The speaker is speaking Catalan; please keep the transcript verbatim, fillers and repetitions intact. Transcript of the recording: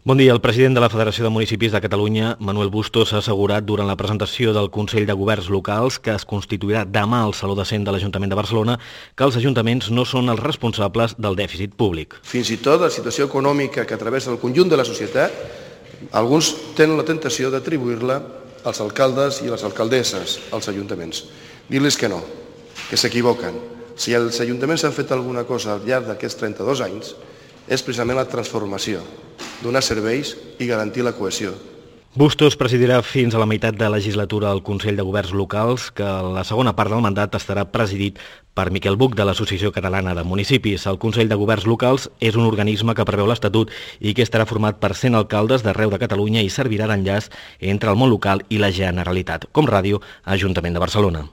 Bon dia. El president de la Federació de Municipis de Catalunya, Manuel Bustos, ha assegurat durant la presentació del Consell de Governs Locals, que es constituirà demà al Saló de Cent de l'Ajuntament de Barcelona, que els ajuntaments no són els responsables del dèficit públic. Fins i tot la situació econòmica que travessa el conjunt de la societat, alguns tenen la tentació d'atribuir-la als alcaldes i a les alcaldesses, als ajuntaments. Dir-los que no, que s'equivoquen. Si els ajuntaments han fet alguna cosa al llarg d'aquests trenta-dos anys, és precisament la transformació, donar serveis i garantir la cohesió. Bustos presidirà fins a la meitat de legislatura el Consell de Governs Locals, que a la segona part del mandat estarà presidit per Miquel Buch, de l'Associació Catalana de Municipis. El Consell de Governs Locals és un organisme que preveu l'Estatut i que estarà format per cent alcaldes d'arreu de Catalunya i servirà d'enllaç entre el món local i la Generalitat. Com ràdio, Ajuntament de Barcelona.